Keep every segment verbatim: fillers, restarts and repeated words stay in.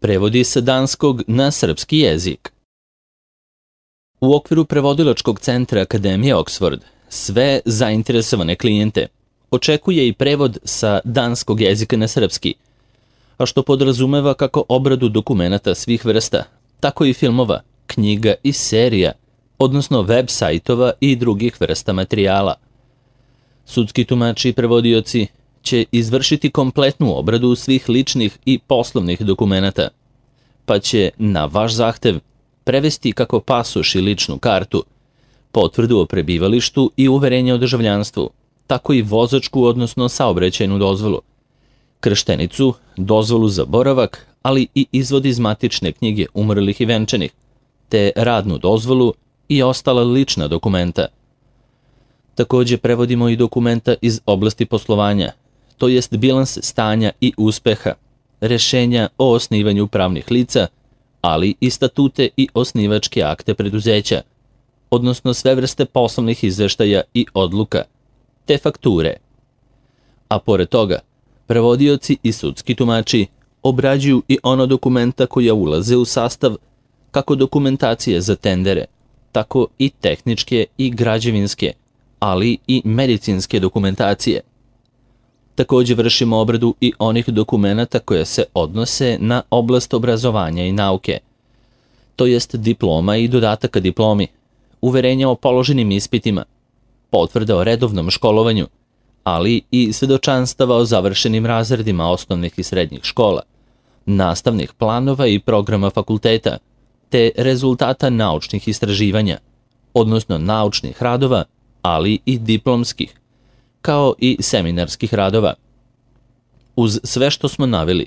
Prevodi sa danskog na srpski jezik. U okviru prevodilačkog centra Akademije Oxford sve zainteresovane klijente očekuje i prevod sa danskog jezika na srpski, a što podrazumeva kako obradu dokumenata svih vrsta, tako i filmova, knjiga i serija, odnosno web sajtova i drugih vrsta materijala. Sudski tumači i prevodioci će izvršiti kompletnu obradu svih ličnih i poslovnih dokumenata, pa će na vaš zahtev prevesti kako pasoš i ličnu kartu, potvrdu o prebivalištu i uverenje o državljanstvu, tako i vozačku odnosno saobraćajnu dozvolu, krštenicu, dozvolu za boravak, ali i izvod iz matične knjige umrlih i venčanih, te radnu dozvolu i ostala lična dokumenta. Takođe prevodimo i dokumenta iz oblasti poslovanja, to jest bilans stanja i uspeha, rešenja o osnivanju pravnih lica, ali i statute i osnivačke akte preduzeća, odnosno sve vrste poslovnih izveštaja i odluka, te fakture. A pored toga, prevodioci i sudski tumači obrađuju i ono dokumenta koja ulaze u sastav kako dokumentacije za tendere, tako i tehničke i građevinske, ali i medicinske dokumentacije. Takođe vršimo obradu i onih dokumenata koje se odnose na oblast obrazovanja i nauke, to jest diploma i dodataka diplomi, uverenja o položenim ispitima, potvrda o redovnom školovanju, ali i svedočanstava o završenim razredima osnovnih i srednjih škola, nastavnih planova i programa fakulteta, te rezultata naučnih istraživanja, odnosno naučnih radova, ali i diplomskih, kao i seminarskih radova. Uz sve što smo naveli,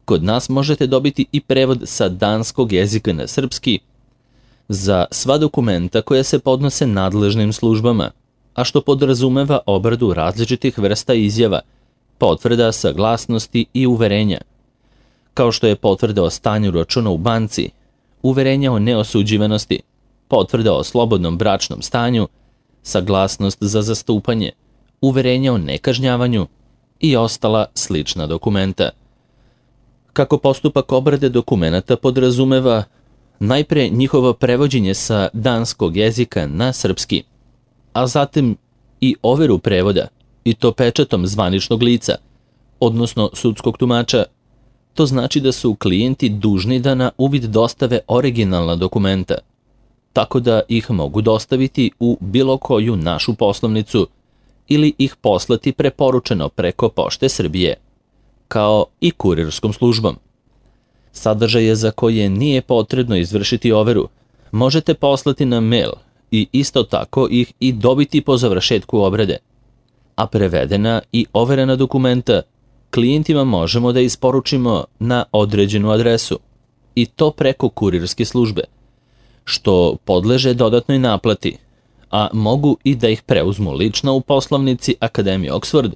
kod nas možete dobiti i prevod sa danskog jezika na srpski za sva dokumenta koja se podnose nadležnim službama, a što podrazumeva obradu različitih vrsta izjava, potvrda, saglasnosti i uverenja, kao što je potvrda o stanju računa u banci, uverenja o neosuđivanosti, potvrda o slobodnom bračnom stanju, saglasnost za zastupanje, uverenja o nekažnjavanju i ostala slična dokumenta. Kako postupak obrade dokumenata podrazumeva najpre njihovo prevođenje sa danskog jezika na srpski, a zatim i overu prevoda, i to pečatom zvaničnog lica, odnosno sudskog tumača, to znači da su klijenti dužni da na uvid dostave originalna dokumenta, tako da ih mogu dostaviti u bilo koju našu poslovnicu ili ih poslati preporučeno preko Pošte Srbije, kao i kurirskom službom. Sadržaje za koje nije potrebno izvršiti overu možete poslati na mail i isto tako ih i dobiti po završetku obrade, a prevedena i overena dokumenta klijentima možemo da isporučimo na određenu adresu, i to preko kurirske službe, što podleže dodatnoj naplati, a mogu i da ih preuzmu lično u poslovnici Akademije Oxford,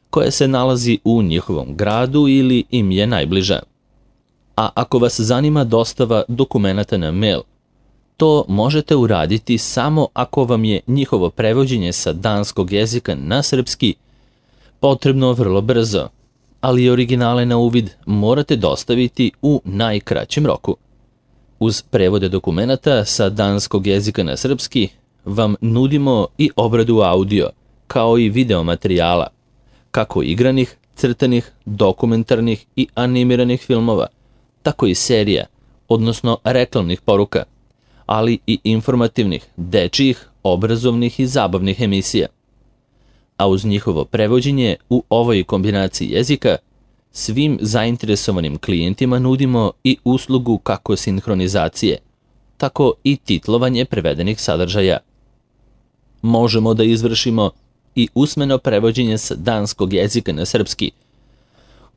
koja se nalazi u njihovom gradu ili im je najbliža. A ako vas zanima dostava dokumenata na mail, to možete uraditi samo ako vam je njihovo prevođenje sa danskog jezika na srpski potrebno vrlo brzo, ali originale na uvid morate dostaviti u najkraćem roku. Uz prevode dokumenata sa danskog jezika na srpski vam nudimo i obradu audio, kao i video materijala, kako igranih, crtanih, dokumentarnih i animiranih filmova, tako i serija, odnosno reklamnih poruka, ali i informativnih, dečijih, obrazovnih i zabavnih emisija. A uz njihovo prevođenje u ovoj kombinaciji jezika, svim zainteresovanim klijentima nudimo i uslugu kako sinhronizacije, tako i titlovanje prevedenih sadržaja. Možemo da izvršimo i usmeno prevođenje sa danskog jezika na srpski,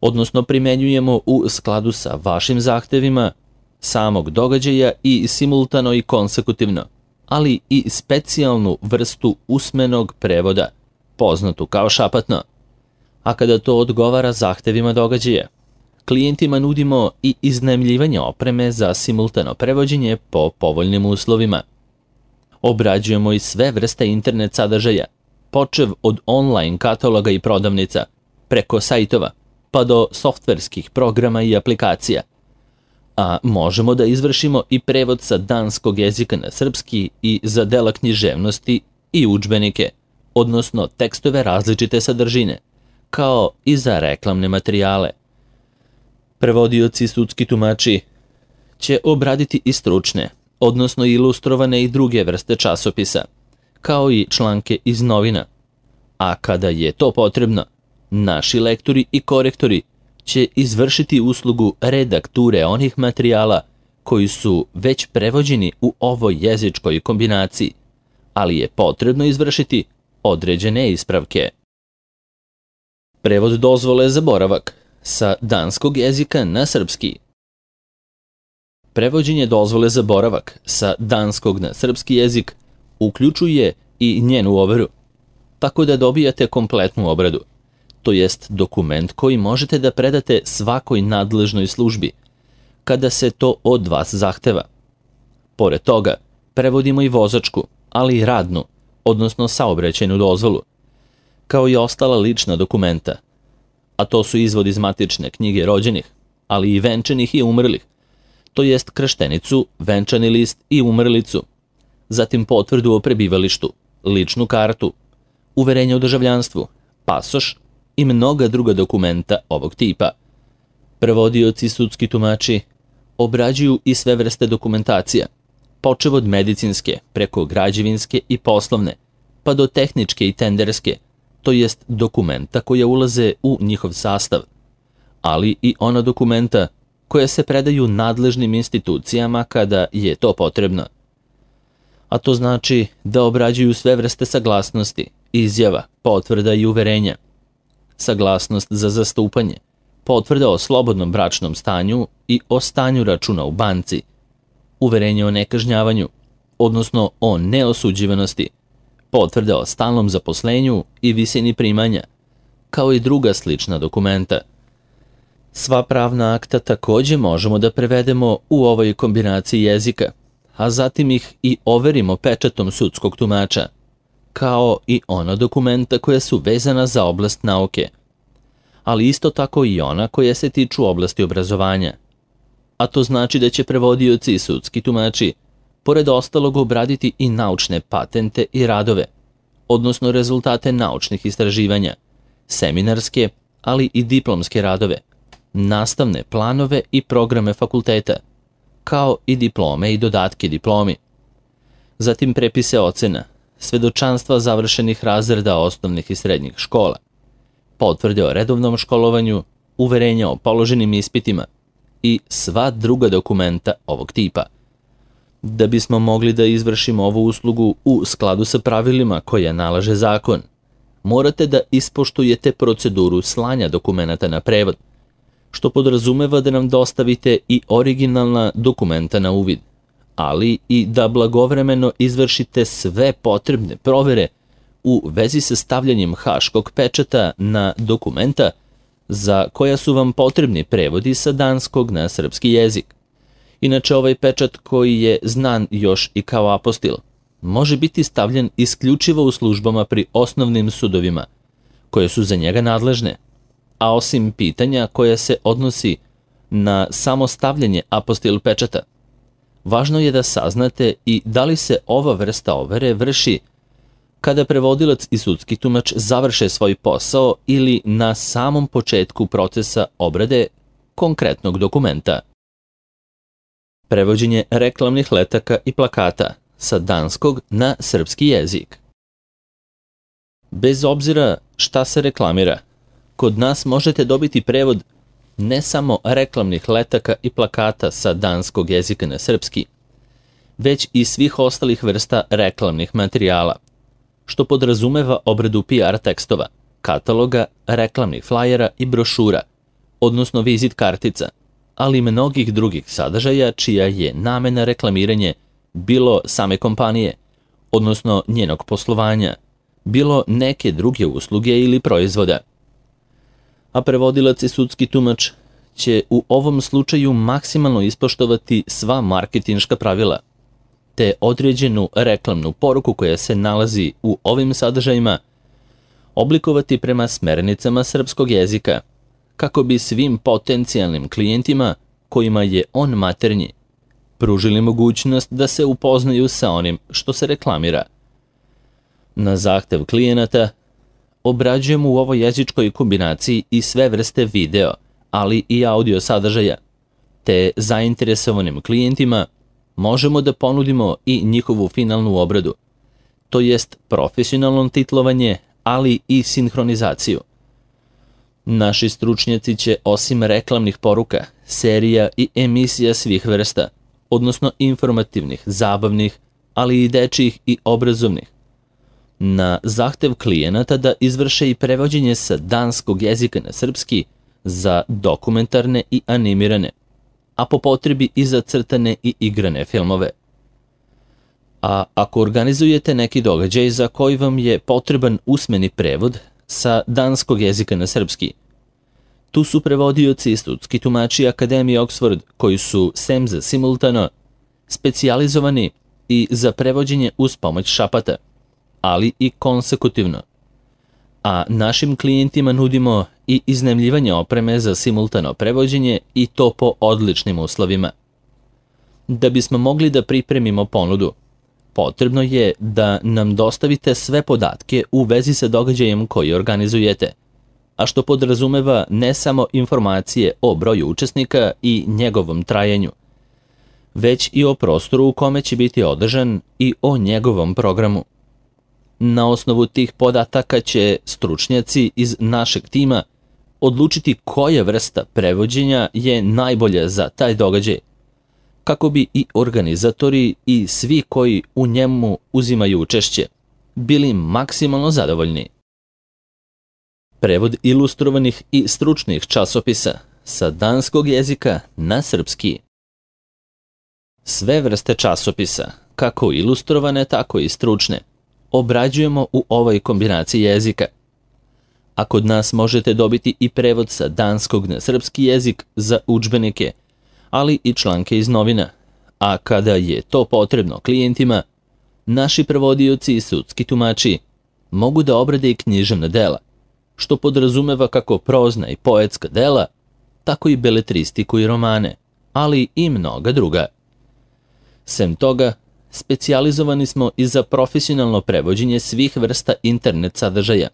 odnosno primenjujemo u skladu sa vašim zahtevima samog događaja i simultano i konsekutivno, ali i specijalnu vrstu usmenog prevoda, poznatu kao šapatno. A kada to odgovara zahtevima događaja, klijentima nudimo i iznajmljivanje opreme za simultano prevođenje po povoljnim uslovima. Obrađujemo i sve vrste internet sadržaja, počev od online kataloga i prodavnica, preko sajtova, pa do softverskih programa i aplikacija, a možemo da izvršimo i prevod sa danskog jezika na srpski i za dela književnosti i udžbenike, odnosno tekstove različite sadržine, kao i za reklamne materijale. Prevodioci i sudski tumači će obraditi i stručne, odnosno ilustrovane i druge vrste časopisa, kao i članke iz novina. A kada je to potrebno, naši lektori i korektori će izvršiti uslugu redakture onih materijala koji su već prevođeni u ovoj jezičkoj kombinaciji, ali je potrebno izvršiti određene ispravke. Prevod dozvole za boravak sa danskog jezika na srpski. Prevođenje dozvole za boravak sa danskog na srpski jezik uključuje i njenu overu, tako da dobijate kompletnu obradu, to jest dokument koji možete da predate svakoj nadležnoj službi, kada se to od vas zahteva. Pored toga, prevodimo i vozačku, ali i radnu, odnosno saobraćajnu dozvolu, kao i ostala lična dokumenta, a to su izvod iz matične knjige rođenih, ali i venčanih i umrlih, to jest krštenicu, venčani list i umrlicu, zatim potvrdu o prebivalištu, ličnu kartu, uverenje o državljanstvu, pasoš i mnoga druga dokumenta ovog tipa. Prevodioci i sudski tumači obrađuju i sve vrste dokumentacija, počev od medicinske, preko građevinske i poslovne, pa do tehničke i tenderske, to jest dokumenta koja ulaze u njihov sastav, ali i ona dokumenta koja se predaju nadležnim institucijama kada je to potrebno. A to znači da obrađuju sve vrste saglasnosti, izjava, potvrda i uverenja, saglasnost za zastupanje, potvrda o slobodnom bračnom stanju i o stanju računa u banci, uverenje o nekažnjavanju, odnosno o neosuđivanosti, potvrda o stalnom zaposlenju i visini primanja, kao i druga slična dokumenta. Sva pravna akta takođe možemo da prevedemo u ovoj kombinaciji jezika, a zatim ih i overimo pečatom sudskog tumača, kao i ona dokumenta koja su vezana za oblast nauke, ali isto tako i ona koja se tiču oblasti obrazovanja. A to znači da će prevodioci i sudski tumači, pored ostalog, obraditi i naučne patente i radove, odnosno rezultate naučnih istraživanja, seminarske, ali i diplomske radove, nastavne planove i programe fakulteta, kao i diplome i dodatke diplomi. Zatim prepise ocena, svedočanstva završenih razreda osnovnih i srednjih škola, potvrde o redovnom školovanju, uverenja o položenim ispitima i sva druga dokumenta ovog tipa. Da bismo mogli da izvršimo ovu uslugu u skladu sa pravilima koje nalaže zakon, morate da ispoštujete proceduru slanja dokumenata na prevod, što podrazumeva da nam dostavite i originalna dokumenta na uvid, ali i da blagovremeno izvršite sve potrebne provere u vezi sa stavljanjem haškog pečata na dokumenta za koja su vam potrebni prevodi sa danskog na srpski jezik. Inače, ovaj pečat, koji je znan još i kao apostil, može biti stavljen isključivo u službama pri osnovnim sudovima, koje su za njega nadležne, a osim pitanja koja se odnosi na samo stavljanje apostil pečata, važno je da saznate i da li se ova vrsta overe vrši kada prevodilac i sudski tumač završe svoj posao ili na samom početku procesa obrade konkretnog dokumenta. Prevođenje reklamnih letaka i plakata sa danskog na srpski jezik. Bez obzira šta se reklamira, kod nas možete dobiti prevod ne samo reklamnih letaka i plakata sa danskog jezika na srpski, već i svih ostalih vrsta reklamnih materijala, što podrazumeva obradu P R tekstova, kataloga, reklamnih flajera i brošura, odnosno vizit kartica, ali i mnogih drugih sadržaja čija je namena reklamiranje bilo same kompanije, odnosno njenog poslovanja, bilo neke druge usluge ili proizvoda. A prevodilac i sudski tumač će u ovom slučaju maksimalno ispoštovati sva marketinška pravila, te određenu reklamnu poruku koja se nalazi u ovim sadržajima oblikovati prema smernicama srpskog jezika, kako bi svim potencijalnim klijentima kojima je on maternji, pružili mogućnost da se upoznaju sa onim što se reklamira. Na zahtev klijenata obrađujemo u ovoj jezičkoj kombinaciji i sve vrste video, ali i audio sadržaja, te zainteresovanim klijentima možemo da ponudimo i njihovu finalnu obradu, to jest profesionalno titlovanje, ali i sinhronizaciju. Naši stručnjaci će osim reklamnih poruka, serija i emisija svih vrsta, odnosno informativnih, zabavnih, ali i dečjih i obrazovnih, na zahtev klijenata da izvrše i prevođenje sa danskog jezika na srpski za dokumentarne i animirane, a po potrebi i za crtane i igrane filmove. A ako organizujete neki događaj za koji vam je potreban usmeni prevod sa danskog jezika na srpski, tu su prevodioci i sudski tumači Akademije Oxford koji su, sem za simultano, specijalizovani i za prevođenje uz pomoć šapata, ali i konsekutivno. A našim klijentima nudimo i iznajmljivanje opreme za simultano prevođenje i to po odličnim uslovima. Da bismo mogli da pripremimo ponudu, potrebno je da nam dostavite sve podatke u vezi sa događajem koji organizujete, a što podrazumeva ne samo informacije o broju učesnika i njegovom trajanju, već i o prostoru u kome će biti održan i o njegovom programu. Na osnovu tih podataka će stručnjaci iz našeg tima odlučiti koja vrsta prevođenja je najbolja za taj događaj, kako bi i organizatori i svi koji u njemu uzimaju učešće bili maksimalno zadovoljni. Prevod ilustrovanih i stručnih časopisa sa danskog jezika na srpski. Sve vrste časopisa, kako ilustrovane, tako i stručne, obrađujemo u ovoj kombinaciji jezika. A kod nas možete dobiti i prevod sa danskog na srpski jezik za udžbenike, ali i članke iz novina, a kada je to potrebno klijentima, naši prevodioci i sudski tumači mogu da obrade i književna dela, što podrazumeva kako prozna i poetska dela, tako i beletristiku i romane, ali i mnoga druga. Sem toga, specijalizovani smo i za profesionalno prevođenje svih vrsta internet sadržaja,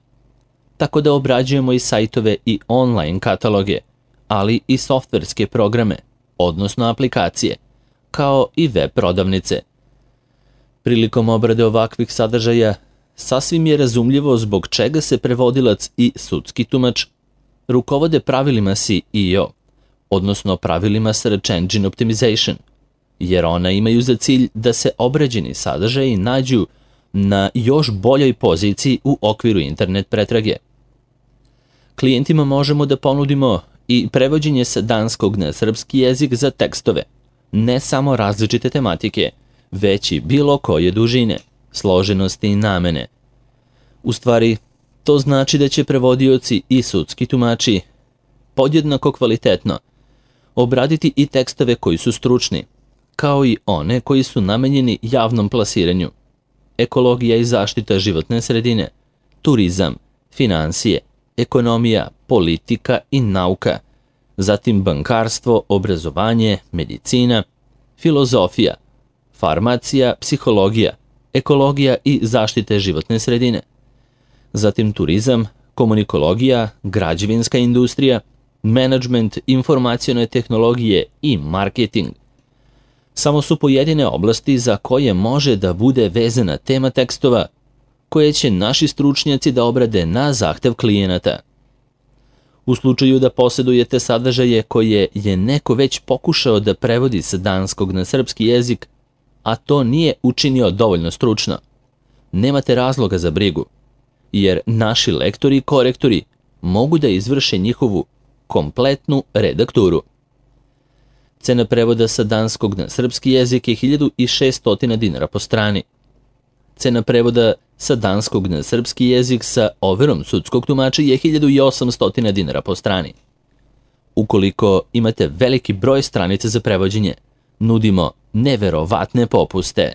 tako da obrađujemo i sajtove i online kataloge, ali i softverske programe, odnosno aplikacije, kao i web prodavnice. Prilikom obrade ovakvih sadržaja, sasvim je razumljivo zbog čega se prevodilac i sudski tumač rukovode pravilima S E O, odnosno pravilima Search Engine Optimization, jer ona imaju za cilj da se obrađeni sadržaji nađu na još boljoj poziciji u okviru internet pretrage. Klijentima možemo da ponudimo i prevođenje sa danskog na srpski jezik za tekstove, ne samo različite tematike, već i bilo koje dužine, složenosti i namene. U stvari, to znači da će prevodioci i sudski tumači podjednako kvalitetno obraditi i tekstove koji su stručni, kao i one koji su namenjeni javnom plasiranju, ekologija i zaštita životne sredine, turizam, finansije, ekonomija, politika i nauka, zatim bankarstvo, obrazovanje, medicina, filozofija, farmacija, psihologija, ekologija i zaštite životne sredine, zatim turizam, komunikologija, građevinska industrija, menadžment, informacione tehnologije i marketing. Samo su pojedine oblasti za koje može da bude vezana tema tekstova, koje će naši stručnjaci da obrade na zahtev klijenata. U slučaju da posjedujete sadržaje koje je neko već pokušao da prevodi sa danskog na srpski jezik, a to nije učinio dovoljno stručno, nemate razloga za brigu, jer naši lektori i korektori mogu da izvrše njihovu kompletnu redakturu. Cena prevoda sa danskog na srpski jezik je hiljadu šessto dinara po strani. Cena prevoda sa danskog na srpski jezik sa overom sudskog tumača je hiljadu osamsto dinara po strani. Ukoliko imate veliki broj stranica za prevođenje, nudimo neverovatne popuste.